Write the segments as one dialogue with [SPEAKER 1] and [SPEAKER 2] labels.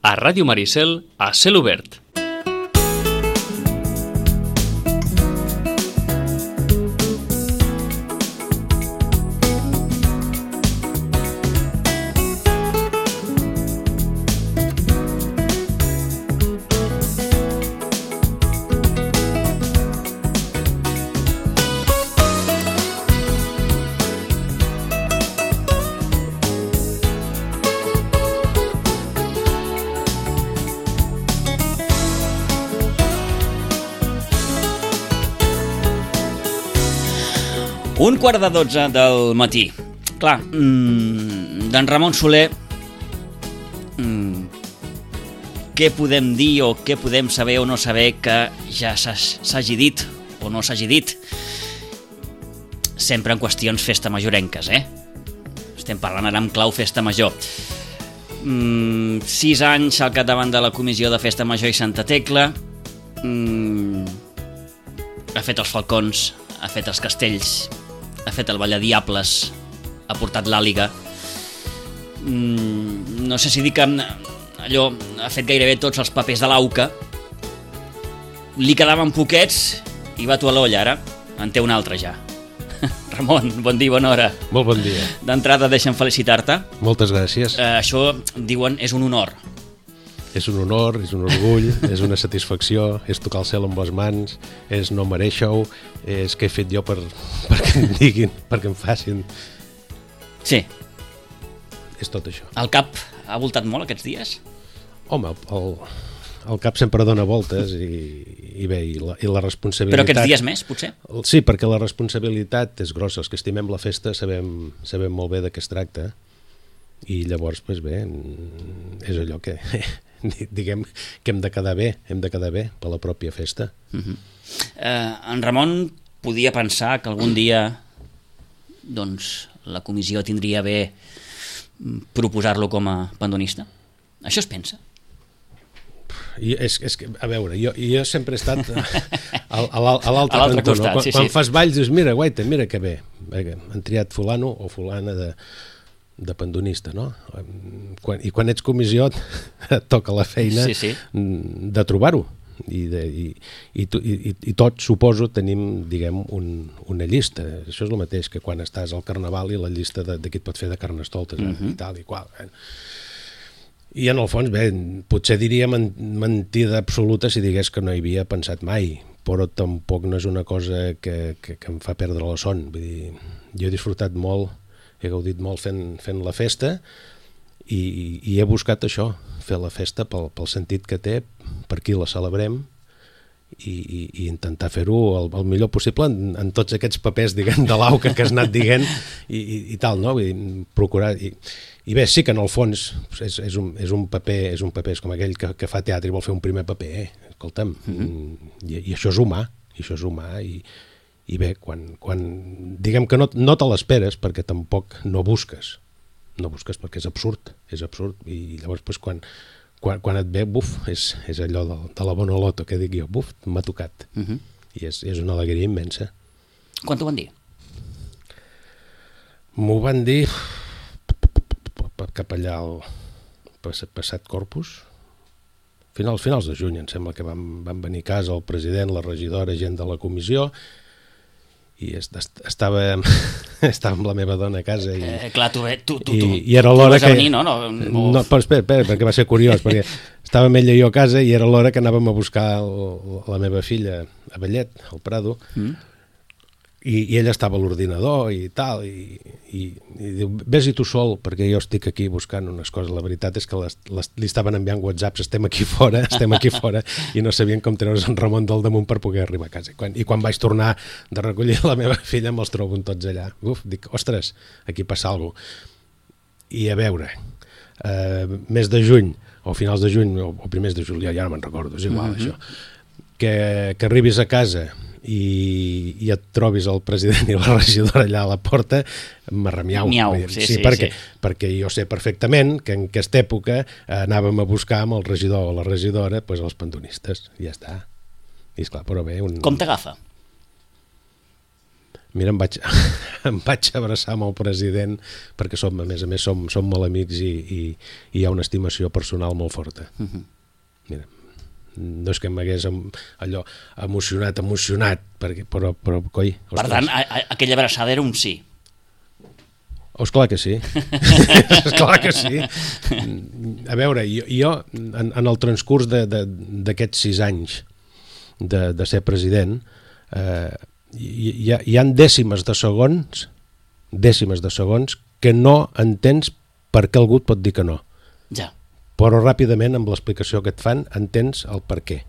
[SPEAKER 1] a Ràdio Maricel, a Cel Obert.
[SPEAKER 2] Un quart de 12 del matí. Clar, d'en Ramon Soler, què podem dir o què podem saber o no saber que ja s'hagi dit o no s'hagi dit? Sempre en qüestions festa majorenques, Estem parlant ara en clau festa major. 6 anys al capdavant de la Comissió de Festa Major i Santa Tecla. Ha fet els falcons, ha fet els castells, ha fet el Balladiables, ha portat l'àliga. No sé si dir que allò ha fet gairebé tots els papers de l'AUCA. Li quedaven poquets i va tu a l'olla ara. En té un altre ja. Ramon, bon dia, bona hora.
[SPEAKER 3] Molt bon dia.
[SPEAKER 2] D'entrada deixa'm felicitar-te.
[SPEAKER 3] Moltes gràcies.
[SPEAKER 2] Això, diuen, és un honor.
[SPEAKER 3] És un honor, és un orgull, és una satisfacció, és tocar el cel amb les mans, és no mereixer-ho, és què he fet jo perquè em diguin, perquè em facin.
[SPEAKER 2] Sí.
[SPEAKER 3] És tot això.
[SPEAKER 2] El cap ha voltat molt aquests dies?
[SPEAKER 3] Home, el cap sempre dona voltes i bé, i la responsabilitat...
[SPEAKER 2] Però aquests dies més, potser?
[SPEAKER 3] Sí, perquè la responsabilitat és grossa. Els que estimem la festa sabem molt bé de què es tracta i llavors, doncs bé, és allò que... diguem que hem de quedar bé per la pròpia festa.
[SPEAKER 2] En Ramon podia pensar que algun dia doncs la comissió tindria bé proposar-lo com a pandonista? Això es pensa?
[SPEAKER 3] És que, a veure, jo sempre he estat a l'altre cantó,
[SPEAKER 2] costat,
[SPEAKER 3] no? Quan fas balls dius, mira, guaita, mira que bé, han triat fulano o fulana de pandonista, no? I quan ets comissió et toca la feina de trobar-ho i tots, suposo, tenim, diguem, una llista. Això és el mateix que quan estàs al Carnaval i la llista de qui et pot fer de carnestoltes i tal i qual. I en el fons, bé, potser diria mentida absoluta si digués que no hi havia pensat mai, però tampoc no és una cosa que em fa perdre la son. Vull dir, jo he disfrutat molt, he gaudit molt fent la festa i he buscat això, fer la festa pel sentit que té, per qui la celebrem i intentar fer-ho el millor possible en tots aquests papers, diguem, de l'AUCA que has anat dient i tal, no? Vull dir, procurar... I bé, sí que en el fons és un paper, és com aquell que fa teatre i vol fer un primer paper, escolta'm, i això és humà, i bé, quan diguem que no te l'esperes perquè tampoc no busques perquè és absurd, i llavors pues, quan et ve, buf, és allò de la bona loto que dic jo, buf, m'ha tocat, i és una alegria immensa.
[SPEAKER 2] Quan t'ho van dir?
[SPEAKER 3] M'ho van dir cap allà al passat Corpus, finals de juny, em sembla que van venir a casa el president, la regidora, gent de la comissió, i estava amb la meva dona a casa
[SPEAKER 2] clar, tu
[SPEAKER 3] era l'hora
[SPEAKER 2] vas a venir, no?
[SPEAKER 3] No, però espera, perquè va ser curiós, perquè estàvem ella i jo a casa i era l'hora que anàvem a buscar la meva filla a Vallet, al Prado, i ella estava a l'ordinador i tal, i diu, vés-hi tu sol, perquè jo estic aquí buscant unes coses. La veritat és que li estaven enviant whatsapps, estem aquí fora, i no sabien com treure's en Ramon del damunt per poder arribar a casa. I quan vaig tornar de recollir la meva filla me'ls trobo tots allà. Dic, ostres, aquí passa alguna cosa. I a veure, mes de juny, o finals de juny, o primers de juliol, ja no me'n recordo, és igual això, que arribis a casa i et trobis el president i la regidora allà a la porta, m'arremiau. Perquè jo sé perfectament que en aquesta època anàvem a buscar amb el regidor o la regidora els pandonistes, i ja està. I esclar, però bé...
[SPEAKER 2] Com t'agafa?
[SPEAKER 3] Mira, em vaig abraçar amb el president perquè a més a més som molt amics i hi ha una estimació personal molt forta. Mira, no és que m'hagués allò emocionat, però coi...
[SPEAKER 2] Per tant, aquella abraçada era un sí.
[SPEAKER 3] Esclar que sí. Esclar que sí. A veure, jo en el transcurs d'aquests 6 anys de ser president, hi ha dècimes de segons que no entens per què algú et pot dir que no.
[SPEAKER 2] Ja. Però
[SPEAKER 3] ràpidament, amb l'explicació que et fan, entens el per què.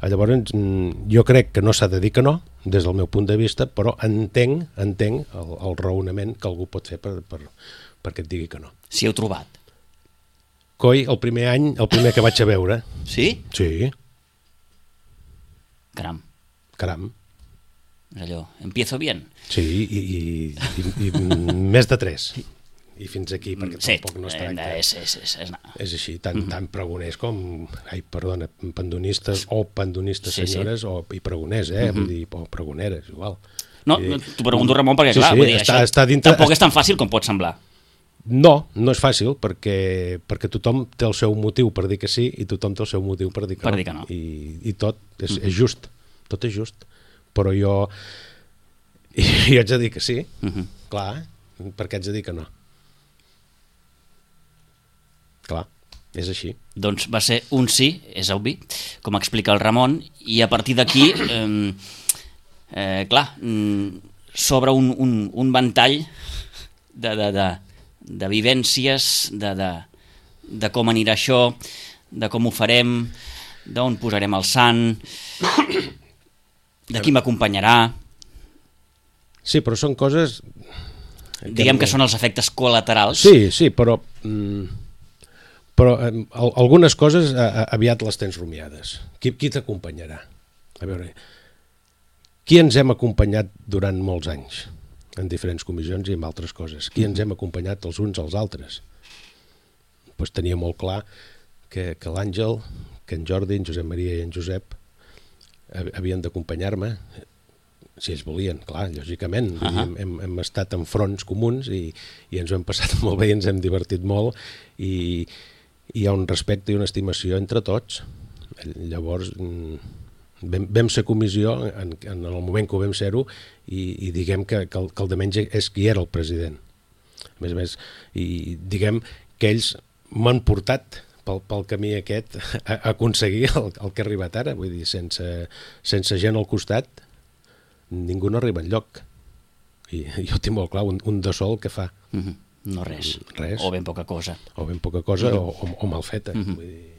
[SPEAKER 3] Llavors, jo crec que no s'ha de dir que no, des del meu punt de vista, però entenc el raonament que algú pot fer perquè et digui que no.
[SPEAKER 2] Si heu trobat?
[SPEAKER 3] Coi, el primer any, el primer que vaig a veure.
[SPEAKER 2] Sí?
[SPEAKER 3] Sí.
[SPEAKER 2] Caram.
[SPEAKER 3] És
[SPEAKER 2] allò, empiezo bien.
[SPEAKER 3] Sí, i més de 3. I fins aquí, perquè tampoc no es tracta. És així, tant pregoners com, pandonistes o pandonistes senyores i pregoners, vull dir, o pregoneres, igual.
[SPEAKER 2] No, t'ho pregunto, Ramon, perquè clar, vull dir, això tampoc és tan fàcil com pot semblar.
[SPEAKER 3] No és fàcil, perquè tothom té el seu motiu per dir que sí i tothom té el seu motiu per dir que no. I tot és just, tot és just. Però jo haig de dir que sí, clar, perquè haig de dir que no. Clar, és així.
[SPEAKER 2] Doncs va ser un sí, és obvi, com explica el Ramon, i a partir d'aquí, clar, s'obre un ventall de vivències, de com anirà això, de com ho farem, d'on posarem el sant, de qui m'acompanyarà.
[SPEAKER 3] Sí, però són coses...
[SPEAKER 2] Diguem que són els efectes col·laterals.
[SPEAKER 3] Sí, però algunes coses aviat les tens rumiades. Qui t'acompanyarà? A veure, qui ens hem acompanyat durant molts anys en diferents comissions i en altres coses? Qui ens hem acompanyat els uns als altres? Pues tenia molt clar que l'Àngel, que en Jordi, en Josep Maria i en Josep havien d'acompanyar-me, si ells volien, clar, lògicament. Hem estat en fronts comuns i ens ho hem passat molt bé i ens hem divertit molt i hi ha un respecte i una estimació entre tots. Llavors vam ser comissió en el moment que ho vam ser-ho i diguem que el de menys és qui era el president. A més, i diguem que ells m'han portat pel camí aquest a aconseguir el que ha arribat ara. Vull dir, sense gent al costat ningú no arriba enlloc. I jo tinc molt clar, un de sol que fa.
[SPEAKER 2] No res. O ben poca cosa.
[SPEAKER 3] O ben poca cosa o mal feta. Vull dir...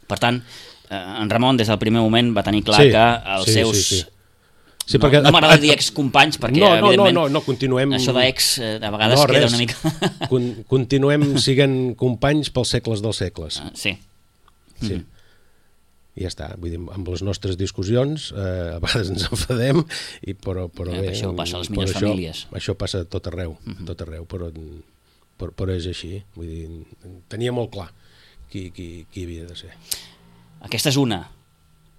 [SPEAKER 2] Per tant, en Ramon des del primer moment va tenir clar que els seus...
[SPEAKER 3] Sí,
[SPEAKER 2] no m'agrada dir excompanys perquè evidentment
[SPEAKER 3] no, continuem...
[SPEAKER 2] això d'ex de vegades queda una mica...
[SPEAKER 3] Continuem siguent companys pels segles dels segles.
[SPEAKER 2] Sí.
[SPEAKER 3] I ja està, vull dir, amb les nostres discussions a vegades ens enfadem però bé,
[SPEAKER 2] això passa a les millors famílies.
[SPEAKER 3] Això passa tot arreu, però és així. Vull dir, tenia molt clar qui havia de ser.
[SPEAKER 2] Aquesta és una.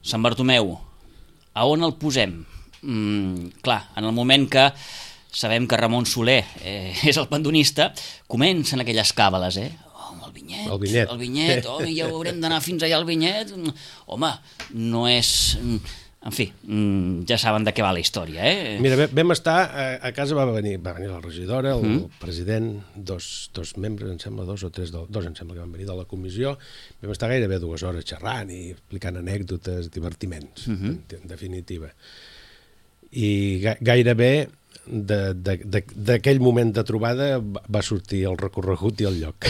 [SPEAKER 2] Sant Bartomeu, a on el posem? Clar, en el moment que sabem que Ramon Soler és el pandonista, comencen aquelles càbales, el vinyet, ja haurem d'anar fins allà al vinyet. Home, no és... En fi, ja saben de què va la història,
[SPEAKER 3] Mira, vam estar, a casa va venir la regidora, el president, dos membres, em sembla, dos em sembla que van venir de la comissió, vam estar gairebé 2 hores xerrant i explicant anècdotes, divertiments, en definitiva. I gairebé d'aquell moment de trobada va sortir el recorregut i el lloc.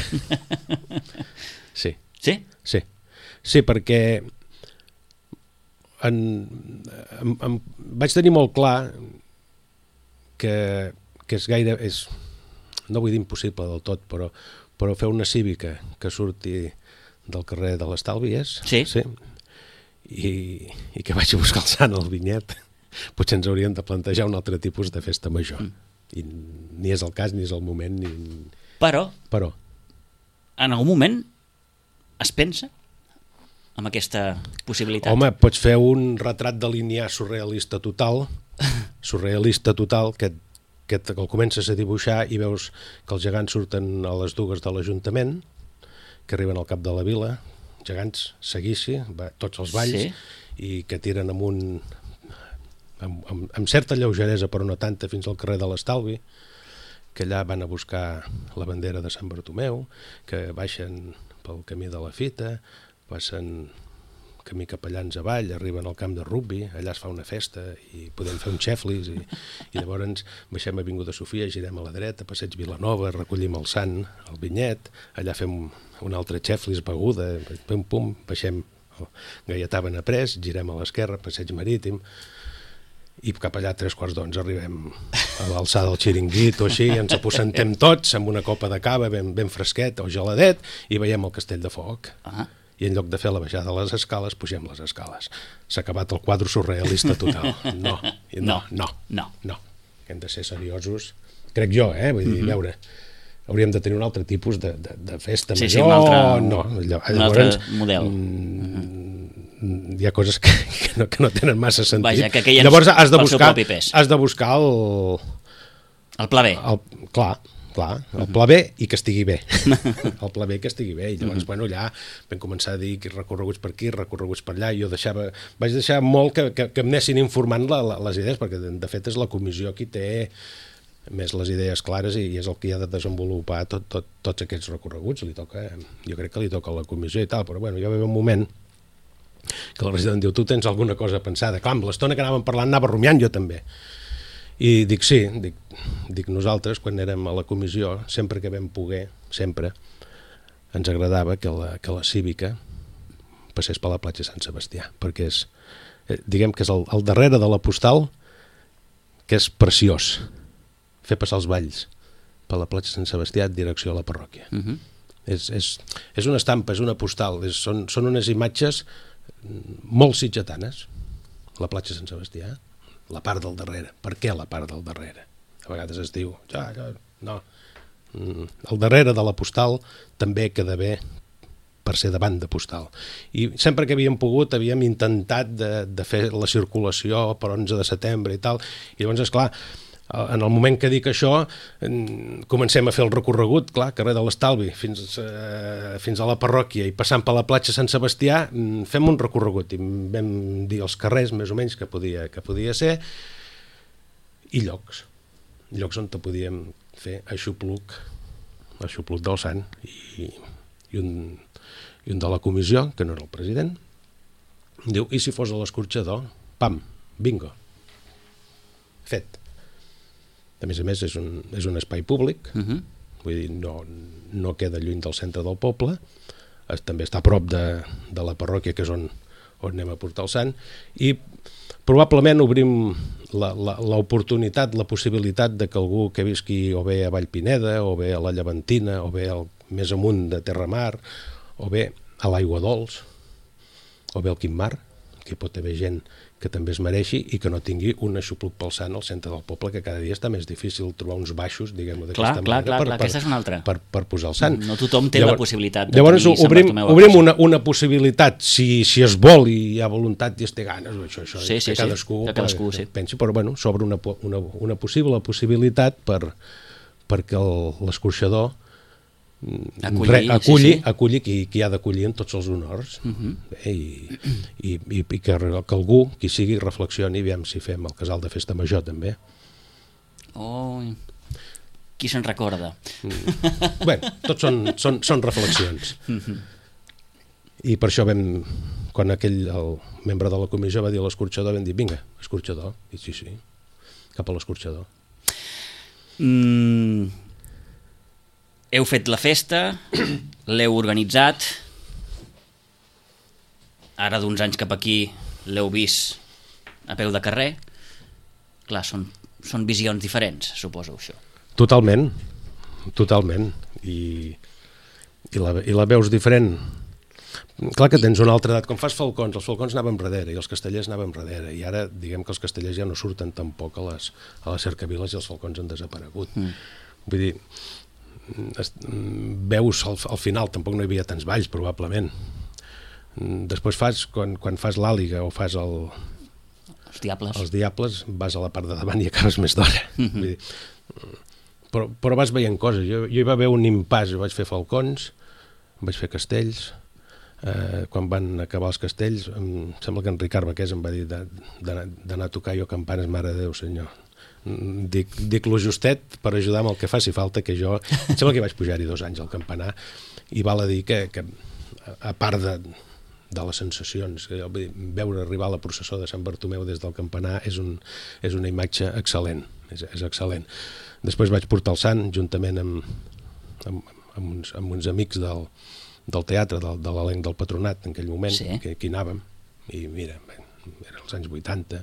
[SPEAKER 3] Sí.
[SPEAKER 2] Sí?
[SPEAKER 3] Sí, perquè vaig tenir molt clar que és no vull dir impossible del tot, però fer una cívica que surti del carrer de l'Estalvi i que vagi a buscar el sant al vinyet, potser ens hauríem de plantejar un altre tipus de festa major. I ni és el cas, ni és el moment,
[SPEAKER 2] Però,
[SPEAKER 3] en
[SPEAKER 2] algun moment es pensa amb aquesta possibilitat?
[SPEAKER 3] Home, pots fer un retrat de linear surrealista total surrealista total, que el comences a dibuixar i veus que els gegants surten a les dues de l'Ajuntament, que arriben al cap de la vila, gegants, seguici, tots els balls, i que tiren amunt amb certa lleugeresa, però no tanta, fins al carrer de l'Estalvi, que allà van a buscar la bandera de Sant Bartomeu, que baixen pel camí de la Fita, passen camí capellans avall, arriben al camp de rugby, allà es fa una festa i podem fer un xeflis i llavors baixem a Avinguda Sofia, girem a la dreta, passeig Vilanova, recollim el Sant, el Vinyet, allà fem un altre xeflis, beguda, pum, pum, baixem Gaietà Benaprés, girem a l'esquerra, passeig Marítim, i cap allà a 3:15 arribem a l'alçada del Xiringuit o així, ens aposentem tots amb una copa de cava ben fresquet o geladet i veiem el Castell de Foc. I en lloc de fer la baixada de les escales, pugem les escales. S'ha acabat el quadre surrealista total. No. Hem de ser seriosos. Crec jo, vull dir, veure, hauríem de tenir un altre tipus de festa major.
[SPEAKER 2] Sí, un altre model.
[SPEAKER 3] Hi ha coses que no tenen massa sentit.
[SPEAKER 2] Vaja, que aquell
[SPEAKER 3] llavors has de buscar
[SPEAKER 2] el pla B.
[SPEAKER 3] Clar, el pla B i que estigui bé. El pla B que estigui bé. I llavors, allà vam començar a dir que recorreguts per aquí, recorreguts per allà, i jo vaig deixar molt que em anessin informant les idees, perquè de fet és la comissió qui té més les idees clares i és el que ha de desenvolupar tots aquests recorreguts. Jo crec que li toca a la comissió i tal, però ja va haver un moment que el resident diu, tu tens alguna cosa pensada? Clar, amb l'estona que anàvem parlant anava rumiant jo també. I dic, sí, dic nosaltres, quan érem a la comissió, sempre que vam poder, sempre, ens agradava que la cívica passés per la platja Sant Sebastià, perquè diguem que és el darrere de la postal, que és preciós, fer passar els balls per la platja Sant Sebastià en direcció a la parròquia. És una estampa, és una postal, són unes imatges molt sitgetanes, la platja Sant Sebastià, la part del darrere. Per què la part del darrere? A vegades es diu, no. El darrere de la postal també queda bé per ser davant de postal. I sempre que havíem pogut havíem intentat de fer la circulació per 11 de setembre i tal, i llavors, esclar, en el moment que dic això comencem a fer el recorregut, clar, carrer de l'Estalvi fins a la parròquia i passant per la platja Sant Sebastià fem un recorregut i vam dir els carrers més o menys que podia ser i llocs on podíem fer aixopluc del Sant i un de la comissió, que no era el president, diu, i si fos a l'escorxador? Pam, bingo, fet. A més, és un espai públic, vull dir, no queda lluny del centre del poble, també està a prop de la parròquia, que és on anem a portar el Sant, i probablement obrim l'oportunitat, la possibilitat de que algú que visqui o bé a Vallpineda, o bé a la Llevantina, o bé més amunt de Terramar, o bé a l'Aigua Dols, o bé al Quimar, que pot haver gent que també es mereixi i que no tingui un aixopluc pel Sant al centre del poble, que cada dia està més difícil trobar uns baixos, diguem-ho d'aquesta manera,
[SPEAKER 2] aquesta és una altra.
[SPEAKER 3] Per posar el Sant.
[SPEAKER 2] No tothom té la possibilitat de
[SPEAKER 3] llavors,
[SPEAKER 2] tenir Sant Bartomeu a casa.
[SPEAKER 3] Obrim una possibilitat, si es vol i hi ha voluntat i es té ganes, això que cadascú pensi, però s'obre una possibilitat perquè l'escorxador aculli qui ha d'acollir en tots els honors i que algú, qui sigui, reflexioni i veiem si fem el casal de festa major també.
[SPEAKER 2] Qui se'n recorda?
[SPEAKER 3] Tots són reflexions i per això quan el membre de la comissió va dir a l'escorxador, vam dir, vinga, escorxador, i sí, cap a l'escorxador.
[SPEAKER 2] Heu fet la festa, l'heu organitzat, ara d'uns anys cap aquí l'heu vist a peu de carrer. Clar, són visions diferents, suposo, això.
[SPEAKER 3] Totalment. I la veus diferent. Clar que tens una altra edat. Com fas falcons, els falcons anaven darrere i els castellers anaven darrere. I ara, diguem que els castellers ja no surten tampoc a les cercaviles i els falcons han desaparegut. Vull dir, veus al final, tampoc no hi havia tants balls probablement, després quan fas l'àliga o fas
[SPEAKER 2] Els
[SPEAKER 3] Diables, vas a la part de davant i acabes més d'hora. Vull dir, però vas veient coses. Jo hi va haver un impàs, jo vaig fer Falcons, vaig fer Castells. Quan van acabar els Castells, em sembla que en Ricard Baqués em va dir d'anar a tocar jo campanes, mare de Déu, senyor. Dic lo justet per ajudar amb el que faci falta, que jo... Em sembla que vaig pujar-hi 2 anys al campanar, i val a dir que a part de les sensacions, veure arribar la processó de Sant Bartomeu des del campanar és una imatge excel·lent, és excel·lent. Després vaig portar el Sant, juntament amb uns amics del teatre, de l'elenc del Patronat, en aquell moment, que hi anàvem, i mira, eren els anys 80,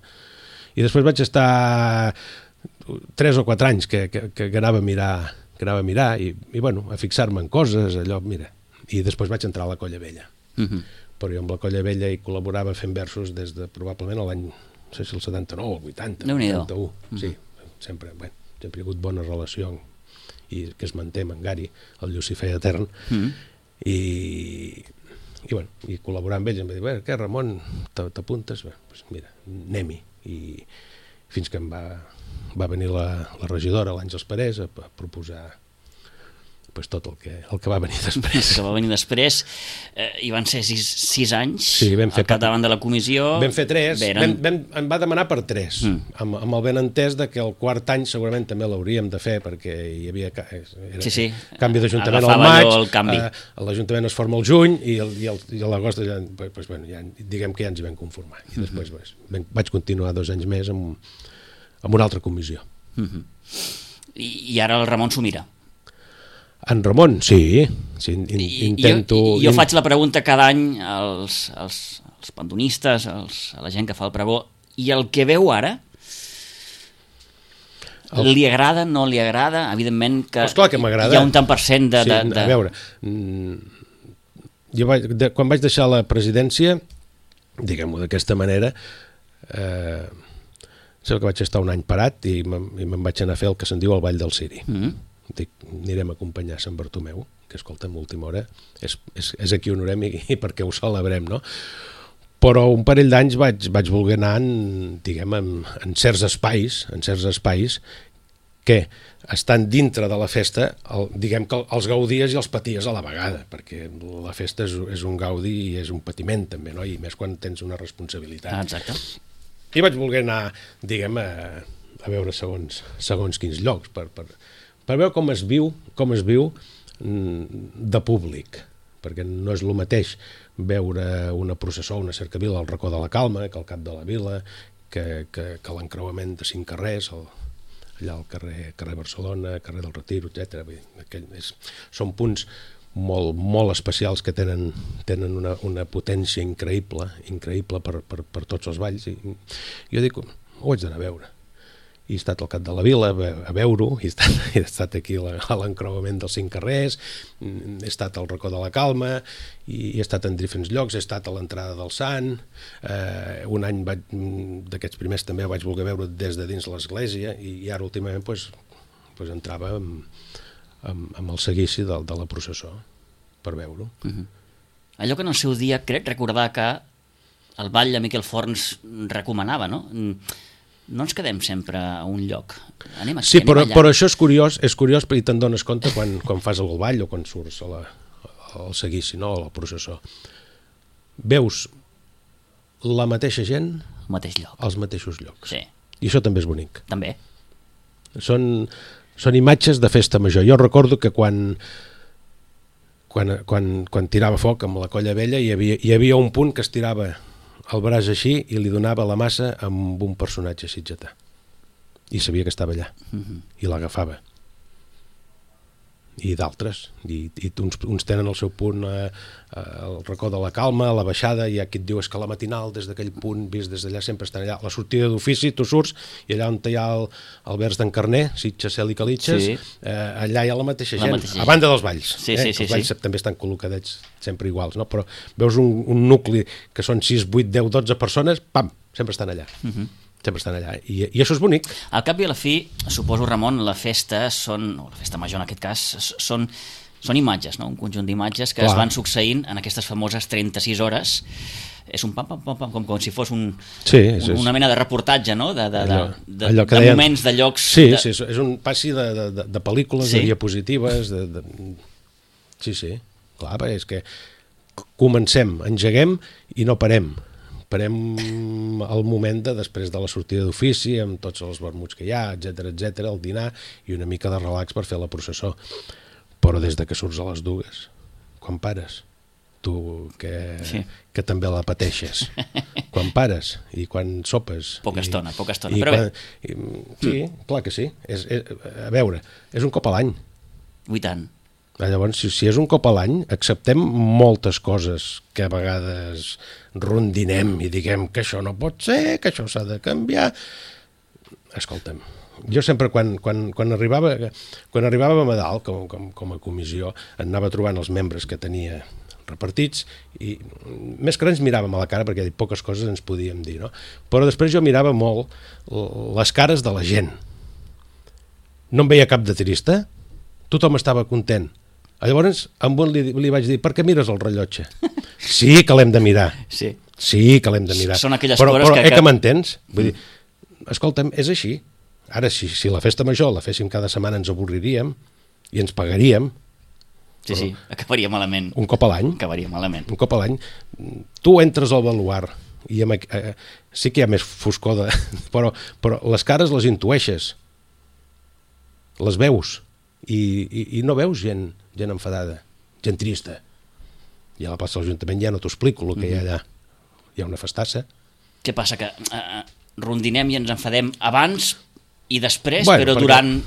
[SPEAKER 3] i després vaig estar 3 o 4 anys que anava a mirar, i bueno, a fixar-me en coses, allò, mira, i després vaig entrar a la Colla Vella. Però jo amb la Colla Vella hi col·laborava fent versos des de probablement l'any, no sé si el 79 o el 80, 81, sí, sempre hi ha hagut bona relació, i que es manté amb en Gari, el Llucifer Etern, i col·laborar amb ells, em va dir, què, Ramon, t'apuntes? Doncs mira, anem-hi. I fins que em va venir la regidora, l'Àngels Parés, a proposar tot el que va venir després.
[SPEAKER 2] Que va venir després, i van ser 6 anys
[SPEAKER 3] al
[SPEAKER 2] capdavant de la comissió.
[SPEAKER 3] Vam fer 3, em va demanar per 3, amb el benentès de que el 4 any segurament també l'hauríem de fer, perquè hi havia canvi d'Ajuntament al maig, l'Ajuntament es forma al juny, i a l'agost diguem que ja ens hi vam conformar. I després vaig continuar 2 anys més amb una altra comissió.
[SPEAKER 2] I ara el Ramon s'ho mira.
[SPEAKER 3] En Ramon, sí, intento...
[SPEAKER 2] Jo faig la pregunta cada any als pandonistes, a la gent que fa el pregó, i el que veu ara, li agrada, no li agrada? Evidentment que hi ha un tant per cent de...
[SPEAKER 3] A veure, quan vaig deixar la presidència, diguem-ho d'aquesta manera, sé que vaig estar un any parat i me'n vaig anar a fer el que se'n diu el Ball del Ciri. Dic, anirem a acompanyar Sant Bartomeu, que escolta'm, última hora, és aquí on orem i perquè ho celebrem, no? Però un parell d'anys vaig voler anar diguem, en certs espais que estan dintre de la festa, diguem que els gaudies i els paties a la vegada, perquè la festa és un gaudi i és un patiment també, no? I més quan tens una responsabilitat.
[SPEAKER 2] Exacte.
[SPEAKER 3] I vaig voler anar, diguem, a veure segons quins llocs, per veure com es viu de públic, perquè no és el mateix veure una processó, una cercavila al racó de la Calma, que al cap de la vila, que l'encreuament de 5 carrers, allà al carrer Barcelona, carrer del Retiro, etc. Són punts molt, molt especials que tenen una potència increïble per tots els balls. I jo dic, ho haig d'anar a veure. I he estat al cap de la vila a veure-ho, he estat aquí a l'encreuament dels 5 carrers, he estat al racó de la Calma, i he estat en diferents llocs, he estat a l'entrada del Sant, un any d'aquests primers també vaig voler veure des de dins l'església, i ara últimament entrava amb el seguici de la processó per veure-ho.
[SPEAKER 2] Allò que en el seu dia crec recordar que el ball de Miquel Forns recomanava, no? No ens quedem sempre a un lloc. Anem aquí,
[SPEAKER 3] sí, però això és curiós i te'n dones compte quan fas el ball o quan surts al seguici, no? A la processó. Veus la mateixa gent als mateixos llocs.
[SPEAKER 2] Sí.
[SPEAKER 3] I això també és bonic.
[SPEAKER 2] També.
[SPEAKER 3] Són imatges de festa major. Jo recordo que quan tirava foc amb la Colla Vella hi havia un punt que es tirava el braç així i li donava la massa amb un personatge sitgetà. I sabia que estava allà. I l'agafava. I d'altres. I uns tenen el seu punt al racó de la Calma, a la baixada, i hi ha qui et diu que la matinal des d'aquell punt, vist des d'allà, sempre estan allà. La sortida d'ofici, tu surts, i allà on hi ha el vers d'en Carner, Sitges, Cel i Calitges, allà hi ha la mateixa gent, a banda dels balls. Els balls també estan col·locadets sempre iguals, no? Però veus un nucli que són 6, 8, 10, 12 persones, pam, sempre estan allà. Sempre estan allà, i això és bonic.
[SPEAKER 2] Al cap i a la fi, suposo, Ramon, la festa major en aquest cas, són imatges, no? Un conjunt d'imatges que es van succeint en aquestes famoses 36 hores. És un pam, com si fos una mena de reportatge, no?
[SPEAKER 3] Allò que
[SPEAKER 2] de
[SPEAKER 3] deien...
[SPEAKER 2] moments, de llocs...
[SPEAKER 3] Sí, és un passi de pel·lícules, de diapositives... Sí, clar, és que comencem, engeguem i no parem. Parem el moment després de la sortida d'ofici, amb tots els vermuts que hi ha, etc, el dinar i una mica de relax per fer la processó. Però des de que surts a les 2, quan pares, tu que també la pateixes, quan pares i quan sopes...
[SPEAKER 2] Poca estona, però bé.
[SPEAKER 3] Sí, clar que sí. A veure, és un cop a l'any.
[SPEAKER 2] I tant.
[SPEAKER 3] Llavors, si és un cop a l'any, acceptem moltes coses que a vegades rondinem i diguem que això no pot ser, que això s'ha de canviar. Escolta'm, jo sempre quan arribàvem a dalt com a comissió anava trobant els membres que tenia repartits i més que res ens miràvem a la cara perquè poques coses ens podíem dir, no? Però després jo mirava molt les cares de la gent. No em veia cap de trista, tothom estava content. Llavors amb un li vaig dir, per què mires el rellotge? Sí que l'hem de mirar. Sí que l'hem de mirar.
[SPEAKER 2] Són aquelles
[SPEAKER 3] coses
[SPEAKER 2] que...
[SPEAKER 3] Però que m'entens? Vull dir, escolta'm, és així. Ara, si la festa major la féssim cada setmana ens avorriríem i ens pagaríem.
[SPEAKER 2] Sí, acabaria malament.
[SPEAKER 3] Un cop a l'any.
[SPEAKER 2] Acabaria malament.
[SPEAKER 3] Un cop a l'any. Tu entres al baluard i sí que hi ha més foscor, però les cares les intueixes. Les veus. I no veus gent enfadada, gent trista. I a la plaça de l'Ajuntament ja no t'ho explico el que hi ha allà. Hi ha una festassa.
[SPEAKER 2] Què passa, que rondinem i ens enfadem abans i després, però durant...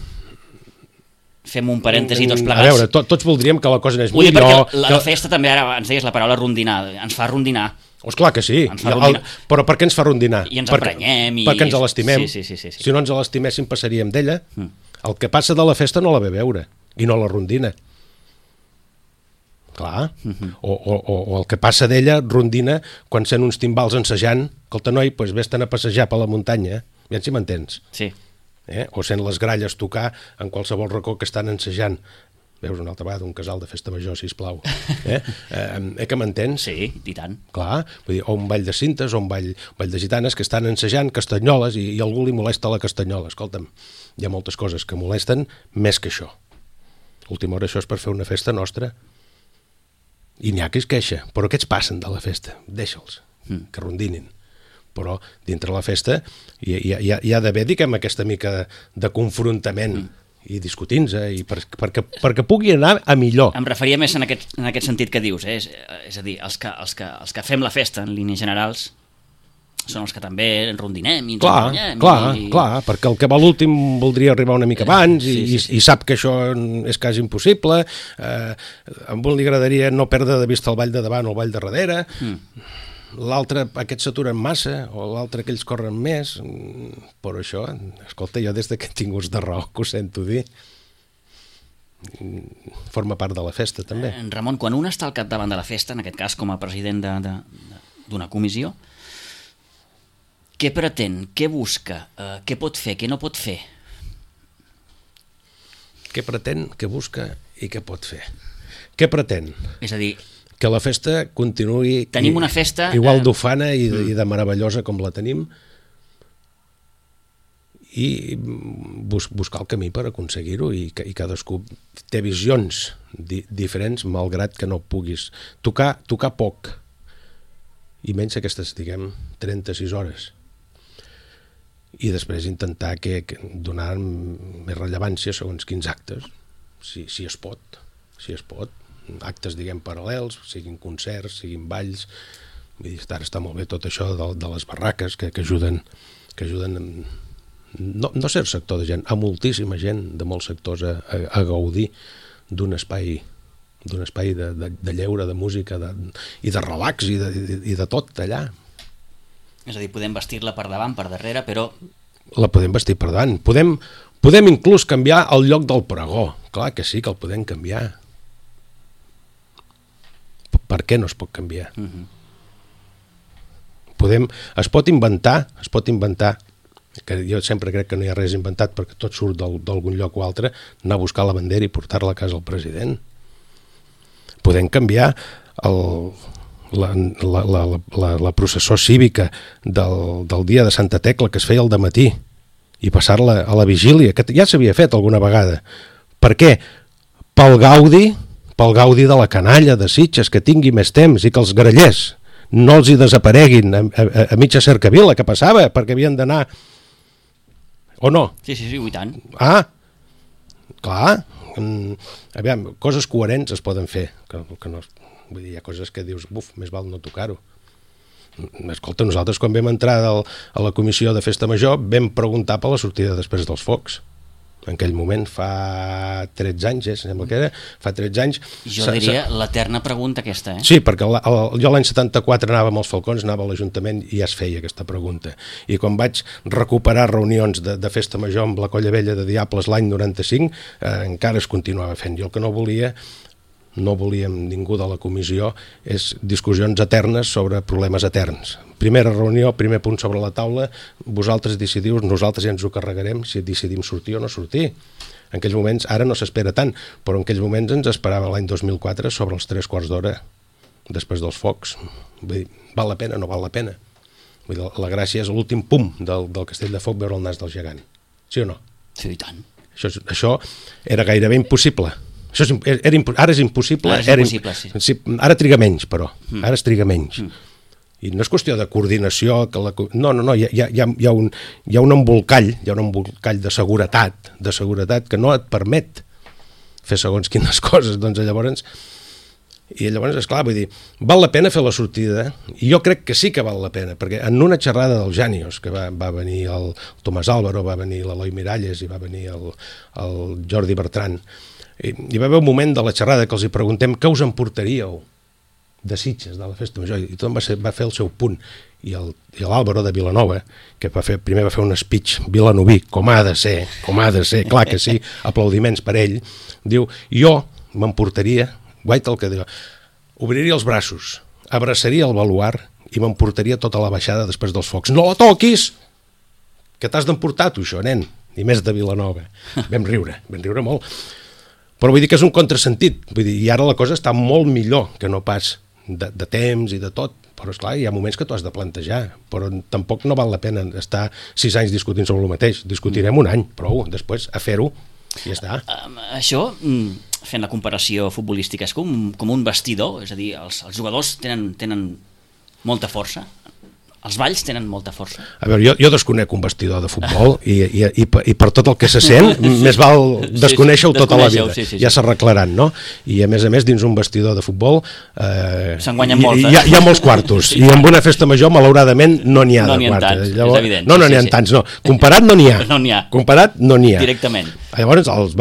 [SPEAKER 2] Fem un parèntesi tots plegats.
[SPEAKER 3] A veure, tots voldríem que la cosa anés millor.
[SPEAKER 2] Perquè la festa també, ara ens deies la paraula rondinar, ens fa rondinar.
[SPEAKER 3] Clar que sí, però per què ens fa rondinar?
[SPEAKER 2] I ens emprenyem.
[SPEAKER 3] Perquè ens l'estimem.
[SPEAKER 2] Sí.
[SPEAKER 3] Si no ens l'estiméssim passaríem d'ella. El que passa de la festa no la ve veure i no la rondina. Clar. O el que passa d'ella rondina quan sent uns timbals ensajant que el tenoi, vés-te'n a passejar per la muntanya, ja si m'entens.
[SPEAKER 2] Sí.
[SPEAKER 3] O sent les gralles tocar en qualsevol racó que estan ensajant. Veus una altra vegada un casal de festa major, sisplau. Que m'entens?
[SPEAKER 2] Sí, i tant.
[SPEAKER 3] Clar, vull dir, o un ball de cintes o un ball de gitanes que estan ensajant castanyoles i algú li molesta la castanyola. Escolta'm, hi ha moltes coses que molesten més que això. Última hora, això és per fer una festa nostra. I n'hi ha que es queixa, però aquests passen de la festa, deixa'ls, que rondinin. Però dintre la festa hi ha d'haver, diguem, aquesta mica de confrontament i discutint-se perquè pugui anar a millor.
[SPEAKER 2] Em referia més en aquest sentit que dius, és a dir, els que fem la festa en línies generals són els que també rondinem i ens emprenyem.
[SPEAKER 3] Clar, perquè el que va l'últim voldria arribar una mica abans i sap que això és quasi impossible. A un li agradaria no perdre de vista el ball de davant o el ball de darrere. L'altre, aquests s'aturen massa, o l'altre, aquells corren més, però això, escolta, jo des que he tingut de raó que ho sento dir, forma part de la festa, també.
[SPEAKER 2] Ramon, quan un està al capdavant de la festa, en aquest cas com a president d'una comissió, què pretén, què busca, què pot fer, què no pot fer?
[SPEAKER 3] Què pretén, què busca i què pot fer? Què pretén?
[SPEAKER 2] És a dir...
[SPEAKER 3] Que la festa continuï
[SPEAKER 2] tenim una festa
[SPEAKER 3] igual d'ufana i de meravellosa com la tenim i buscar el camí per aconseguir-ho i cadascú té visions diferents malgrat que no puguis tocar poc i menys aquestes, diguem, 36 hores i després intentar donar més rellevància segons quins actes si es pot actes, diguem, paral·lels, siguin concerts, siguin balls. Vull dir, ara està molt bé tot això de les barraques que ajuden no cert sector de gent, a moltíssima gent de molts sectors a gaudir d'un espai de lleure, de música i de relax i de tot allà.
[SPEAKER 2] És a dir, podem vestir-la per davant, per darrere, però...
[SPEAKER 3] La podem vestir per davant. Podem inclús canviar el lloc del pregó. Clar que sí que el podem canviar. Per què no es pot canviar? Es pot inventar, que jo sempre crec que no hi ha res inventat perquè tot surt d'algun lloc o altre, anar a buscar la bandera i portar-la a casa al president. Podem canviar la processó cívica del dia de Santa Tecla que es feia al dematí i passar-la a la vigília, que ja s'havia fet alguna vegada. Per què? Pel gaudi de la canalla de Sitges, que tingui més temps i que els grallers no els hi desapareguin a mitja cercavila, que passava, perquè havien d'anar... O no?
[SPEAKER 2] Sí, i tant.
[SPEAKER 3] Ah, clar. Aviam, coses coherents es poden fer, que no... Vull dir, hi ha coses que dius, buf, més val no tocar-ho. Escolta, nosaltres quan vam entrar a la comissió de Festa Major vam preguntar per la sortida després dels focs. En aquell moment, fa 13 anys, sembla que era, fa 13 anys...
[SPEAKER 2] Jo diria l'eterna pregunta aquesta,
[SPEAKER 3] Sí, perquè jo l'any 74 anava amb els Falcons, anava a l'Ajuntament i ja es feia aquesta pregunta. I quan vaig recuperar reunions de Festa Major amb la Colla Vella de Diables l'any 95, encara es continuava fent. Jo el que no volíem ningú de la comissió és discussions eternes sobre problemes eterns. Primera reunió, primer punt sobre la taula, vosaltres decidiu, nosaltres ja ens ho carregarem si decidim sortir o no sortir. En aquells moments, ara no s'espera tant, però en aquells moments ens esperava l'any 2004 sobre els 3/4 després dels focs. Vull dir, val la pena o no val la pena? Vull dir, la gràcia és l'últim pum del castell de foc veure el nas del gegant. Sí o no?
[SPEAKER 2] Sí, i tant.
[SPEAKER 3] Això era gairebé impossible. Ara és impossible.
[SPEAKER 2] Sí.
[SPEAKER 3] Ara triga menys, però. Ara es triga menys. I no és qüestió de coordinació. No, hi ha un embolcall, de seguretat que no et permet fer segons quines coses. Doncs llavors, esclar, vull dir, val la pena fer la sortida, i jo crec que sí que val la pena, perquè en una xerrada dels Jànios, que va venir el Tomàs Álvaro, va venir l'Eloi Miralles i va venir el Jordi Bertran, hi va haver un moment de la xerrada que els hi preguntem què us emportaríeu de Sitges, de la Festa Major, i tothom va fer el seu punt, i l'Àlvaro de Vilanova, que primer va fer un speech vilanoví, com ha de ser, clar que sí, aplaudiments per ell, diu, jo m'emportaria, guaita el que diu, obriria els braços, abraçaria el baluard i m'emportaria tota la baixada després dels focs. No la toquis! Que t'has d'emportar tu, això, nen? I més de Vilanova. Vam riure molt. Però vull dir que és un contrasentit, vull dir, i ara la cosa està molt millor que no pas de temps i de tot, però esclar, hi ha moments que t'ho has de plantejar, però tampoc no val la pena estar 6 anys discutint sobre el mateix, discutirem un any, prou, després a fer-ho i ja està.
[SPEAKER 2] Això, fent la comparació futbolística, és com un vestidor, és a dir, els jugadors tenen molta força, els balls tenen molta força.
[SPEAKER 3] A veure, jo desconec un vestidor de futbol i per tot el que se sent, més val desconèixer-ho tota la vida.
[SPEAKER 2] Sí.
[SPEAKER 3] Ja s'arreglaran, no? I a més, dins un vestidor de futbol
[SPEAKER 2] se'n guanyen moltes.
[SPEAKER 3] Hi ha molts quartos, i amb una festa major, malauradament, no n'hi ha de quartos.
[SPEAKER 2] És evident.
[SPEAKER 3] No n'hi ha tants, no. Comparat no n'hi ha. Comparat no n'hi ha.
[SPEAKER 2] Directament.
[SPEAKER 3] Llavors, els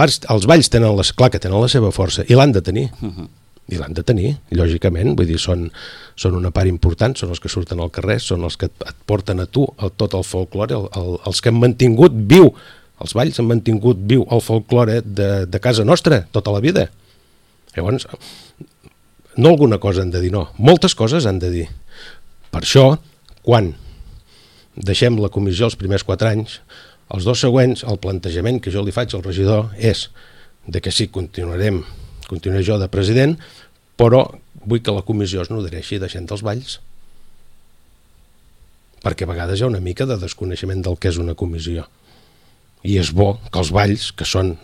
[SPEAKER 3] balls tenen la seva força, i l'han de tenir. I l'han de tenir, lògicament, vull dir, són una part important, són els que surten al carrer, són els que et porten a tu tot el folklore, els que han mantingut viu, els balls han mantingut viu el folklore de casa nostra tota la vida. Llavors, no alguna cosa han de dir, no, moltes coses han de dir. Per això, quan deixem la comissió els primers 4 anys, els 2 següents, el plantejament que jo li faig al regidor és de que sí, continuaré jo de president, però vull que la comissió es nodreixi de gent dels balls. Perquè a vegades hi ha una mica de desconeixement del que és una comissió. I és bo que els balls, que són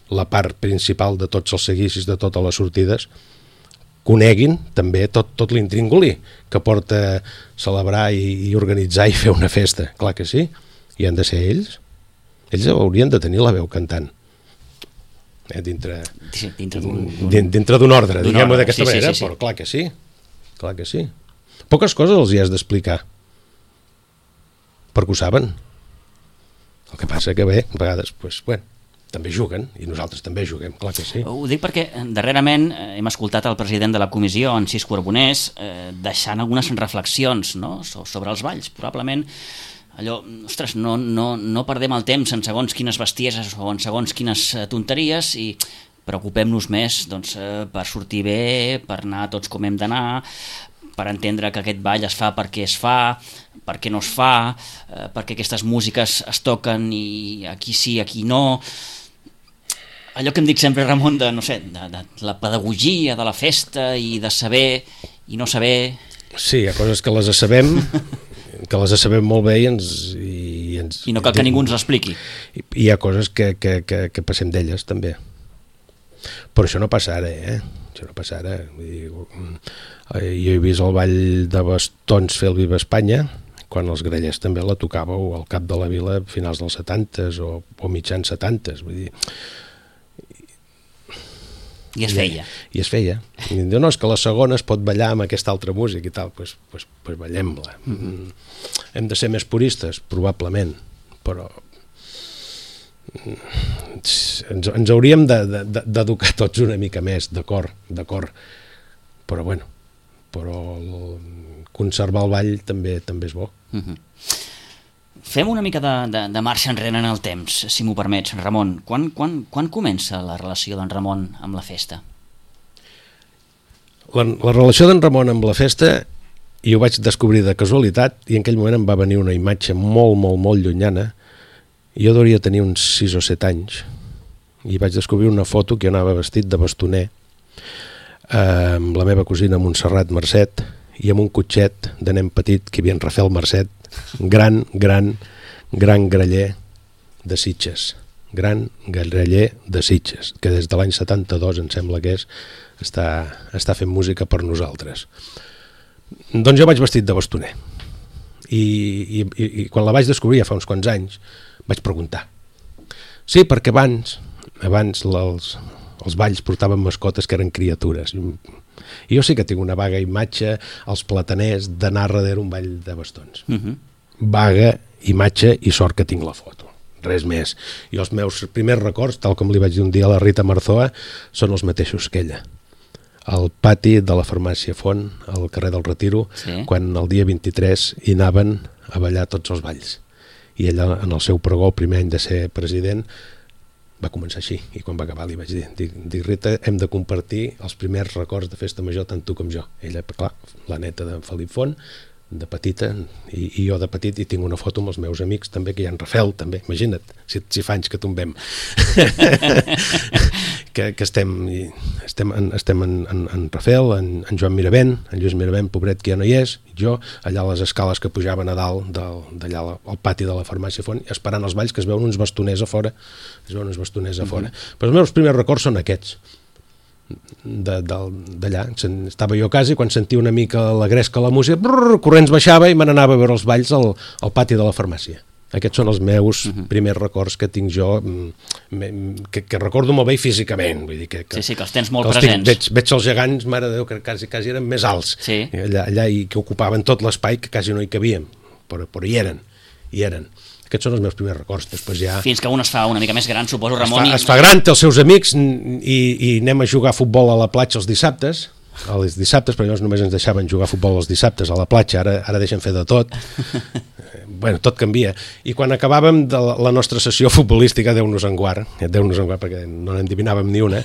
[SPEAKER 3] la part principal de tots els seguicis, de totes les sortides, coneguin també tot l'intríngulis que porta celebrar i organitzar i fer una festa. Clar que sí, i han de ser ells. Ells haurien de tenir la veu cantant. Dintre d'un ordre, diguem-ho d'aquesta manera, però clar que sí. Poques coses els hi has d'explicar, perquè ho saben. El que passa que bé, a vegades, també juguen, i nosaltres també juguem, clar que sí.
[SPEAKER 2] Ho dic perquè darrerament hem escoltat el president de la comissió, en Cisco Arbonés, deixant algunes reflexions, no?, sobre els balls. Probablement allò, ostres, no perdem el temps en segons quines bestieses o en segons quines tonteries i preocupem-nos més per sortir bé, per anar tots com hem d'anar, per entendre que aquest ball es fa perquè es fa, per què no es fa, perquè aquestes músiques es toquen i aquí sí, aquí no. Allò que em dic sempre, Ramon, de la pedagogia de la festa i de saber i no saber.
[SPEAKER 3] Sí, hi ha coses que les sabem, molt bé
[SPEAKER 2] I no cal que ningú ens l'expliqui.
[SPEAKER 3] I hi ha coses que passem d'elles, també. Però això no passa ara, Això no passa ara. Vull dir, jo he vist el ball de bastons fer el Viva Espanya, quan els Grallers també la tocàveu al cap de la vila a finals dels 70s o mitjans 70s. Vull dir,
[SPEAKER 2] I es feia.
[SPEAKER 3] I es feia. I diu, no, és que la segona es pot ballar amb aquesta altra música i tal, doncs ballem-la. Hem de ser més puristes? Probablement, però ens hauríem d'educar tots una mica més, d'acord, però bueno, conservar el ball també és bo.
[SPEAKER 2] Fem una mica de marxa enrere en el temps, si m'ho permets, Ramon. Quan comença la relació d'en Ramon amb la festa?
[SPEAKER 3] La relació d'en Ramon amb la festa jo ho vaig descobrir de casualitat i en aquell moment em va venir una imatge molt, molt, molt llunyana. Jo hauria tenir uns 6 o 7 anys i vaig descobrir una foto que jo anava vestit de bastoner amb la meva cosina Montserrat Mercet i amb un cotxet de nen petit que hi havia en Rafael Mercet, gran graller de Sitges, que des de l'any 72 em sembla que està fent música per nosaltres. Doncs jo vaig vestit de bastoner i quan la vaig descobrir ja fa uns quants anys vaig preguntar. Sí, perquè abans els balls portaven mascotes que eren criatures. I jo sí que tinc una vaga imatge als plataners d'anar darrere un ball de bastons. Vaga imatge i sort que tinc la foto. Res més. I els meus primers records, tal com li vaig dir un dia a la Rita Marzoa, són els mateixos que ella. Al pati de la farmàcia Font, al carrer del Retiro, quan el dia 23 hi anaven a ballar tots els balls. I ella, en el seu pregó, el primer any de ser president, va començar així, i quan va acabar li vaig dir Rita, hem de compartir els primers records de festa major tant tu com jo. Ella, clar, la neta de Felip Font, de petita, i jo de petit, i tinc una foto amb els meus amics també, que hi ha en Rafael també, imagina't, si fa anys que tombem que estem en Rafael, en Joan Miravent, en Lluís Miravent, pobret que ja no hi és, jo, allà a les escales que pujaven a dalt d'allà al pati de la farmàcia Font, esperant els balls, que es veuen uns bastoners a fora, però els meus primers records són aquests d'allà. Estava jo a casa i quan sentia una mica la gresca a la música, corrents baixava i me n'anava a veure els balls al pati de la farmàcia. Aquests són els meus primers records que tinc jo, que recordo molt bé físicament. Vull dir que
[SPEAKER 2] els tens molt presents.
[SPEAKER 3] Veig els gegants, mare de Déu, que quasi eren més alts allà, i que ocupaven tot l'espai, que quasi no hi cabíem, però hi eren. Aquests són els meus primers records. Després ja...
[SPEAKER 2] Fins que un es fa una mica més gran, suposo, Ramon.
[SPEAKER 3] Es fa gran, té els seus amics i anem a jugar a futbol a la platja els dissabtes, però llavors només ens deixaven jugar a futbol els dissabtes a la platja, ara deixen fer de tot. Bueno, tot canvia. I quan acabàvem de la nostra sessió futbolística, Déu-nos en guard, perquè no n'endivinàvem ni una,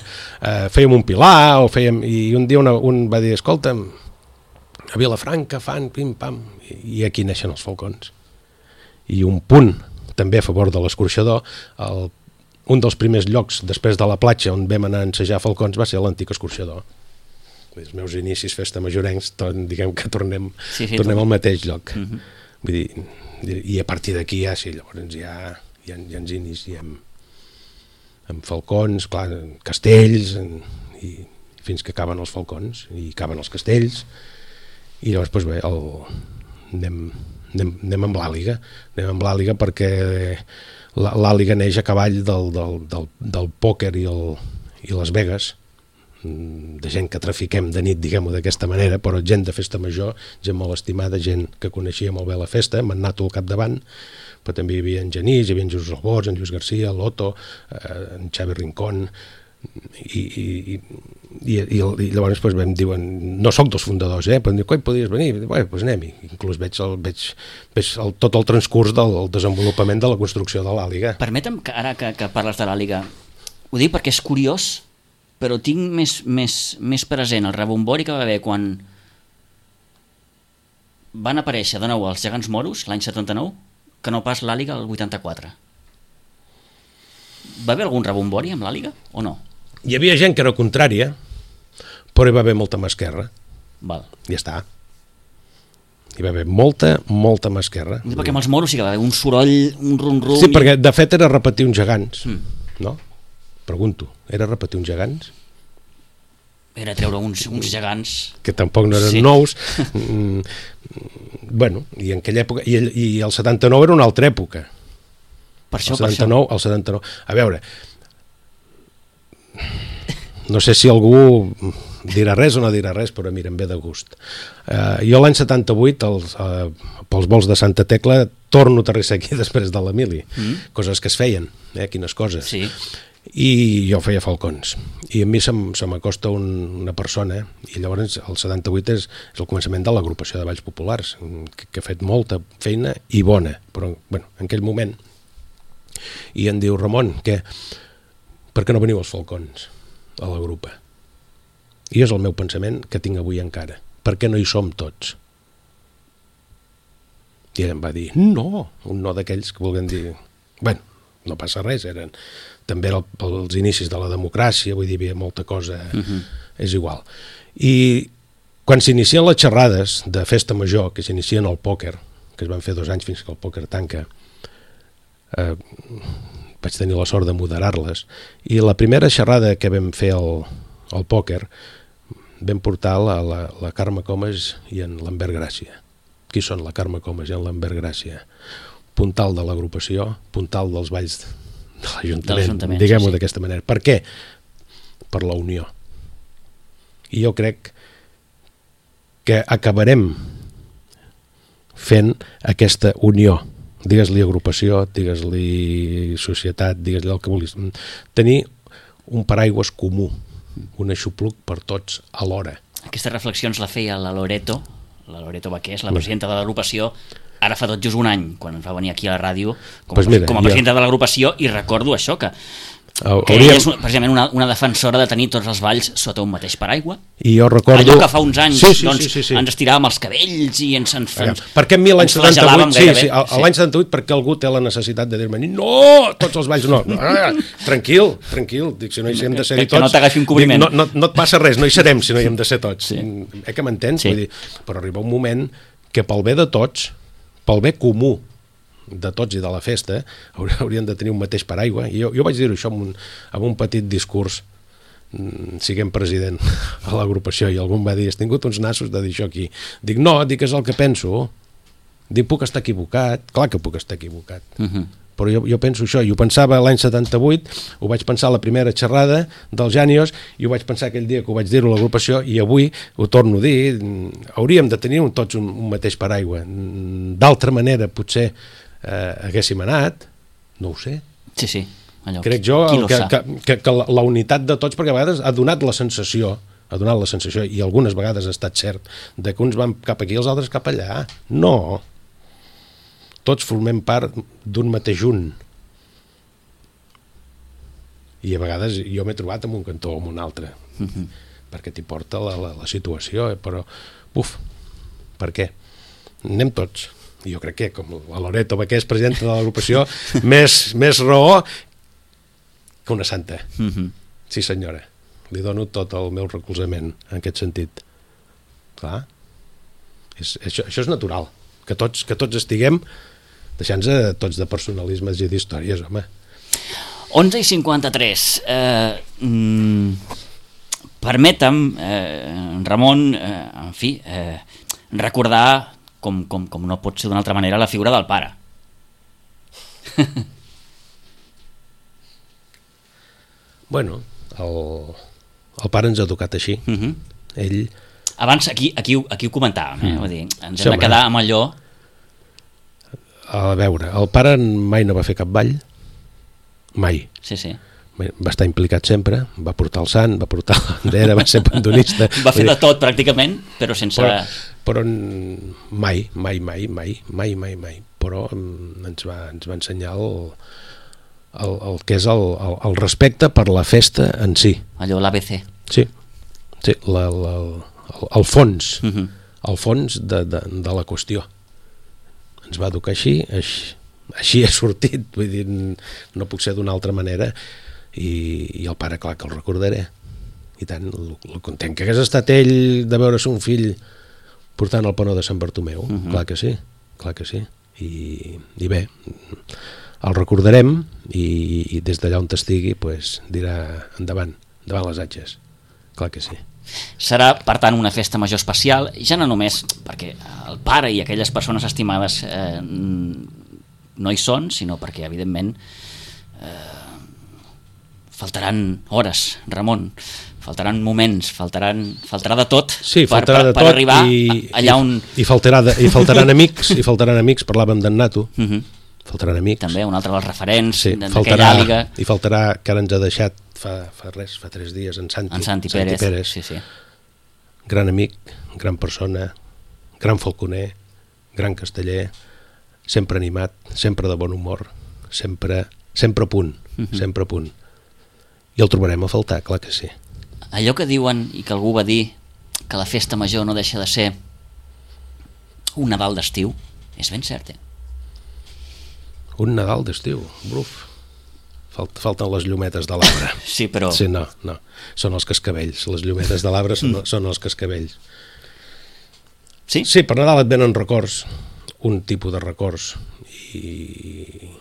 [SPEAKER 3] fèiem un pilar, i un dia un va dir, escolta'm, a Vilafranca fan pim-pam, i aquí neixen els falcons. I un punt també a favor de l'escorxador, un dels primers llocs després de la platja on vam anar a ensejar falcons va ser l'antic escorxador. Els meus inicis festa majorencs, diguem que tornem al mateix lloc. Vull dir, i a partir d'aquí llavors ja ens iniciem amb falcons, clar, castells, i fins que acaben els falcons i acaben els castells, i llavors doncs bé, anem amb l'àliga perquè l'àliga neix a cavall del pòquer i les Vegas, de gent que trafiquem de nit, diguem-ho d'aquesta manera, però gent de festa major, gent molt estimada, gent que coneixia molt bé la festa, amb en Nato al capdavant, però també hi havia en Genís, hi havia en Jesús Albors, en Lluís Garcia, l'Otto, en Xavi Rincón, i llavors doncs, em diuen, no sóc dels fundadors, però em diuen, coi, podries venir? Doncs anem-hi. Inclús veig tot el transcurs del desenvolupament de la construcció de l'àliga.
[SPEAKER 2] Permetem, ara que parles de l'àliga, ho dic perquè és curiós, però tinc més present el rebombori que va haver quan van aparèixer de nou els gegants moros l'any 79 que no pas l'àliga el 84. Va haver algun rebombori amb l'àliga o no?
[SPEAKER 3] Hi havia gent que era contrària, però hi va haver molta mà esquerra.
[SPEAKER 2] Val.
[SPEAKER 3] Ja està. Hi va haver molta mà esquerra.
[SPEAKER 2] Perquè amb els moros sí que va haver un soroll, un rum-rum...
[SPEAKER 3] Sí, perquè de fet era repetir uns gegants, no? Pregunto, era repetir uns gegants?
[SPEAKER 2] Era treure uns gegants...
[SPEAKER 3] Que tampoc no eren nous. Bueno, i en aquella època... I el 79 era una altra època.
[SPEAKER 2] Per això,
[SPEAKER 3] el 79. A veure, no sé si algú dirà res o no dirà res, però mira, em ve de gust. Jo l'any 78, pels vols de Santa Tecla, torno a aterrissar aquí després de l'Emili. Coses que es feien, quines coses.
[SPEAKER 2] Sí.
[SPEAKER 3] I jo feia falcons. I a mi se m'acosta una persona, i llavors el 78 és el començament de l'agrupació de balls populars, que ha fet molta feina i bona, però bueno, en aquell moment. I em diu, Ramon, per què no veniu als falcons a la grupa? I és el meu pensament que tinc avui encara. Per què no hi som tots? I ell em va dir, no, un no d'aquells que vulguin dir, bueno, no passa res, també era els inicis de la democràcia, vull dir, hi havia molta cosa, és igual. I quan s'inicien les xerrades de festa major, que s'inicien al pòquer, que es van fer 2 anys fins que el pòquer tanca, vaig tenir la sort de moderar-les, i la primera xerrada que vam fer al pòquer vam portar la Carme Comas i en Lambert Gràcia. Qui són la Carme Comas i en Lambert Gràcia? Puntal de l'agrupació, puntal dels balls de l'Ajuntament, diguem-ho d'aquesta manera. Per què? Per la unió. I jo crec que acabarem fent aquesta unió. Digues-li agrupació, digues-li societat, digues-li el que vulguis. Tenir un paraigües comú, un aixopluc per tots alhora.
[SPEAKER 2] Aquestes reflexions la feia la Loreto Baqués, la presidenta de l'agrupació, ara fa tot just un any, quan ens va venir aquí a la ràdio com a presidenta de l'agrupació, i recordo això, que ella és precisament una defensora de tenir tots els balls sota un mateix paraigua.
[SPEAKER 3] I jo recordo...
[SPEAKER 2] Allò que fa uns anys
[SPEAKER 3] sí.
[SPEAKER 2] ens estiràvem els cabells i ens
[SPEAKER 3] per què a mi l'any 78, l'any 78, perquè algú té la necessitat de dir-me no, tots els balls no. Tranquil, dic, si no hi hem de ser tots...
[SPEAKER 2] Que no t'agafi un cobriment.
[SPEAKER 3] No et passa res, no hi serem si no hi hem de ser tots. Que m'entens? Vull dir, però arriba un moment que pel bé de tots, pel bé comú de tots i de la festa, haurien de tenir un mateix paraigua. I jo vaig dir-ho això amb un petit discurs, siguem president a l'agrupació, i algú em va dir, has tingut uns nassos de dir això aquí. Dic, no, és el que penso. Dic, puc estar equivocat? Clar que puc estar equivocat. Però jo penso això, i ho pensava l'any 78, ho vaig pensar a la primera xerrada dels Jànios, i ho vaig pensar aquell dia que ho vaig dir-ho a l'agrupació, i avui ho torno a dir, hauríem de tenir tots un mateix paraigua. D'altra manera, potser haguéssim anat, no ho sé.
[SPEAKER 2] Sí. Allò,
[SPEAKER 3] crec jo que la unitat de tots, perquè a vegades ha donat la sensació, i algunes vegades ha estat cert, de que uns van cap aquí i els altres cap allà. No. Tots formem part d'un mateix un. I a vegades jo m'he trobat en un cantó o en un altre, perquè t'hi porta la situació, però, per què? Anem tots. Jo crec que, com la Loreto Baqués, presidenta de l'agrupació, més raó que una santa. Sí, senyora. Li dono tot el meu recolzament en aquest sentit. Clar. Això és natural. Que tots estiguem deixant-nos tots de personalismes i d'històries, home.
[SPEAKER 2] 11:53. Permetem, Ramon, en fi, recordar, com no pot ser d'una altra manera, la figura del pare.
[SPEAKER 3] Bueno, el pare ens ha educat així. Ell...
[SPEAKER 2] Abans, aquí ho comentàvem, vull dir, ens hem de quedar amb allò...
[SPEAKER 3] A veure, el pare mai no va fer cap ball, mai.
[SPEAKER 2] Sí.
[SPEAKER 3] Va estar implicat sempre, va portar el sant, va portar la bandera, va ser pandonista.
[SPEAKER 2] Va fer de tot, pràcticament, però sense...
[SPEAKER 3] Però mai. Però ens va ensenyar el que és el respecte per la festa en si.
[SPEAKER 2] Allò, l'ABC.
[SPEAKER 3] Sí, el fons, el fons de la qüestió. Ens va educar així ha sortit, vull dir, no puc ser d'una altra manera, i el pare, clar que el recordaré, i tant, el content que hagués estat ell de veure son fill portant el penó de Sant Bartomeu, clar que sí, i bé, el recordarem i des d'allà on estigui pues, dirà endavant les atges, clar que sí.
[SPEAKER 2] Serà, per tant, una festa major especial, ja no només perquè el pare i aquelles persones estimades no hi són, sinó perquè, evidentment, faltaran hores, Ramon, faltaran moments, faltarà de tot per arribar allà on...
[SPEAKER 3] I faltaran amics, parlàvem d'en Nato, faltaran amics.
[SPEAKER 2] També, un altre dels referents d'aquella àliga.
[SPEAKER 3] I faltarà, que ara ens ha deixat fa 3 dies, en Santi Pérez.
[SPEAKER 2] Sí.
[SPEAKER 3] Gran amic, gran persona, gran falconer, gran casteller, sempre animat, sempre de bon humor, sempre a punt, sempre a punt. I el trobarem a faltar, clar que sí.
[SPEAKER 2] Allò que diuen, i que algú va dir, que la festa major no deixa de ser un Nadal d'estiu, és ben cert,
[SPEAKER 3] Un Nadal d'estiu, bruf. Falten les llumetes de l'arbre.
[SPEAKER 2] Sí, però...
[SPEAKER 3] Sí, no, són els cascavells. Les llumetes de l'arbre són els cascavells.
[SPEAKER 2] Sí?
[SPEAKER 3] Sí, per Nadal et venen records, un tipus de records, i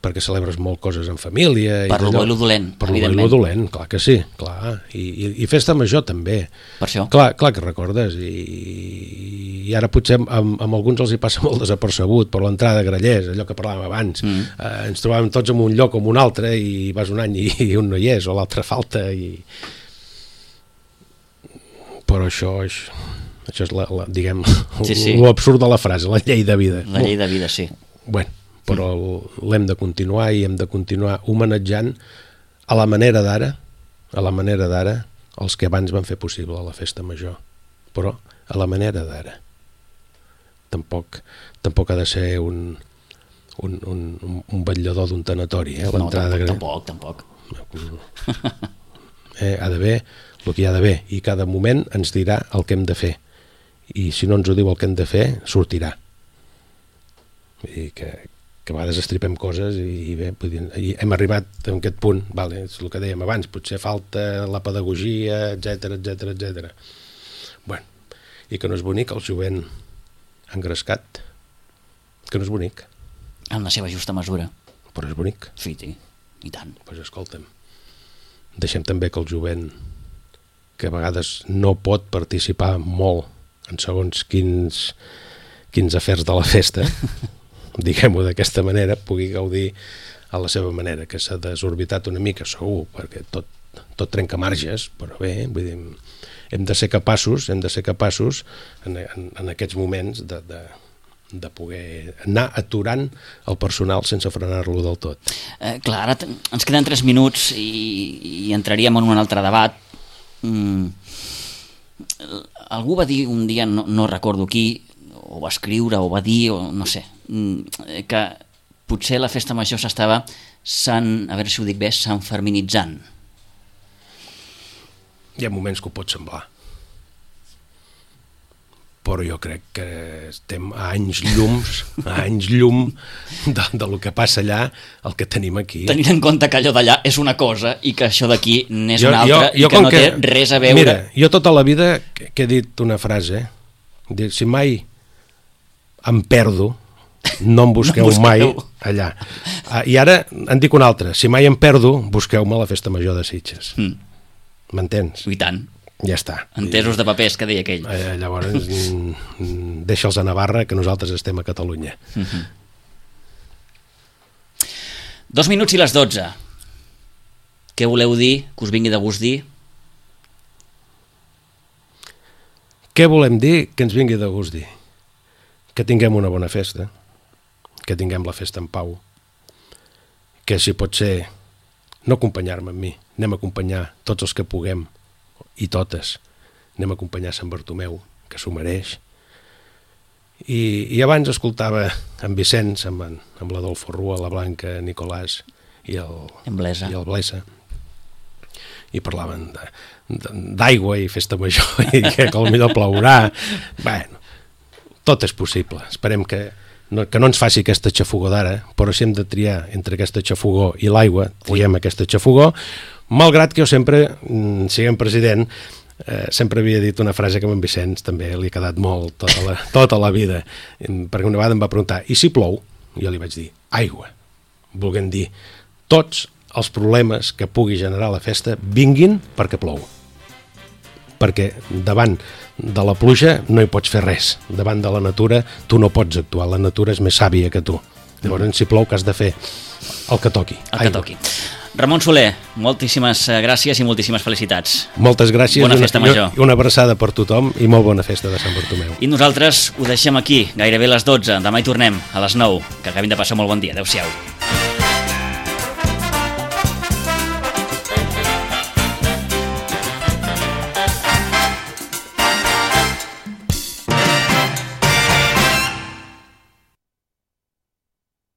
[SPEAKER 3] perquè celebres molt coses en família.
[SPEAKER 2] Per lo bo i lo dolent,
[SPEAKER 3] per lo bo i lo dolent, clar que sí, clar. I festa major també.
[SPEAKER 2] Per això.
[SPEAKER 3] Clar que recordes, i ara potser amb alguns els hi passa molt desapercebut per l'entrada de Grallers, allò que parlàvem abans. Ens trobàvem tots en un lloc o en un altre i vas un any i un no hi és, o l'altre falta. Però això és diguem, l'absurd de la frase, la llei de vida.
[SPEAKER 2] La llei de vida, sí.
[SPEAKER 3] Bueno, però l'hem de continuar i hem de continuar homenatjant a la manera d'ara els que abans van fer possible la festa major, però a la manera d'ara. Tampoc ha de ser un vetllador d'un tanatori, l'entrada de
[SPEAKER 2] tampoc.
[SPEAKER 3] Ha d'haver el que hi ha d'haver, i cada moment ens dirà el que hem de fer, i si no ens ho diu el que hem de fer, sortirà. I que a vegades estripem coses i bé, hem arribat a aquest punt, és el que dèiem abans, potser falta la pedagogia, etc. Bueno, i que no és bonic el jovent engrescat, que no és bonic.
[SPEAKER 2] En la seva justa mesura.
[SPEAKER 3] Però és bonic.
[SPEAKER 2] Sí, i tant.
[SPEAKER 3] Doncs escolta'm, deixem també que el jovent, que a vegades no pot participar molt en segons quins afers de la festa, diguem-ho d'aquesta manera, pugui gaudir a la seva manera, que s'ha desorbitat una mica, segur, perquè tot trenca marges, però bé, vull dir, hem de ser capaços en aquests moments de poder anar aturant el personal sense frenar-lo del tot.
[SPEAKER 2] Clar, ara ens queden 3 minuts i entraríem en un altre debat. Algú va dir un dia, no recordo qui, o va escriure, o va dir, o no sé, que potser la festa major s'estava, a veure si ho dic bé, s'enferminitzant.
[SPEAKER 3] Hi ha moments que ho pot semblar, però jo crec que estem a anys llum del que passa allà, el que tenim aquí.
[SPEAKER 2] Tenint en compte que allò d'allà és una cosa i que això d'aquí n'és una altra i que no té res a veure.
[SPEAKER 3] Mira, jo tota la vida que he dit una frase, si mai em perdo, no em busqueu mai allà. I ara en dic una altra, si mai em perdo, busqueu-me a la festa major de Sitges. M'entens?
[SPEAKER 2] I tant.
[SPEAKER 3] Ja està.
[SPEAKER 2] Entesos de papers, que deia aquell.
[SPEAKER 3] Llavors, deixa'ls a Navarra, que nosaltres estem a Catalunya.
[SPEAKER 2] 2 minuts i les 12. Què voleu dir, que us vingui de gust dir?
[SPEAKER 3] Què volem dir que ens vingui de gust dir? Que tinguem una bona festa, que tinguem la festa en pau, que si pot ser no acompanyar-me amb mi, anem a acompanyar tots els que puguem, i totes, anem a acompanyar Sant Bartomeu, que s'ho mereix. I abans escoltava en Vicenç, amb l'Adolfo Rua, la Blanca Nicolàs i el Blesa, i parlaven d'aigua i festa major, i que potser plourà. Bueno, tot és possible. Esperem que no ens faci aquesta xafogó d'ara, però si hem de triar entre aquesta xafogó i l'aigua, triem aquesta xafogó, malgrat que jo sempre, siguem president, sempre havia dit una frase que a en Vicenç també li ha quedat molt tota la vida, perquè una vegada em va preguntar, i si plou? Jo li vaig dir, aigua, volent dir, tots els problemes que pugui generar la festa vinguin perquè plou. Perquè davant de la pluja no hi pots fer res, davant de la natura tu no pots actuar, la natura és més sàvia que tu. Llavors, si plou, que has de fer? El que toqui.
[SPEAKER 2] El que toqui. Ramon Soler, moltíssimes gràcies i moltíssimes felicitats.
[SPEAKER 3] Moltes gràcies.
[SPEAKER 2] Bona festa major.
[SPEAKER 3] I una abraçada per tothom i molt bona festa de Sant Bartomeu.
[SPEAKER 2] I nosaltres ho deixem aquí, gairebé les 12. Demà hi tornem a les 9. Que acabin de passar molt bon dia. Adéu-siau.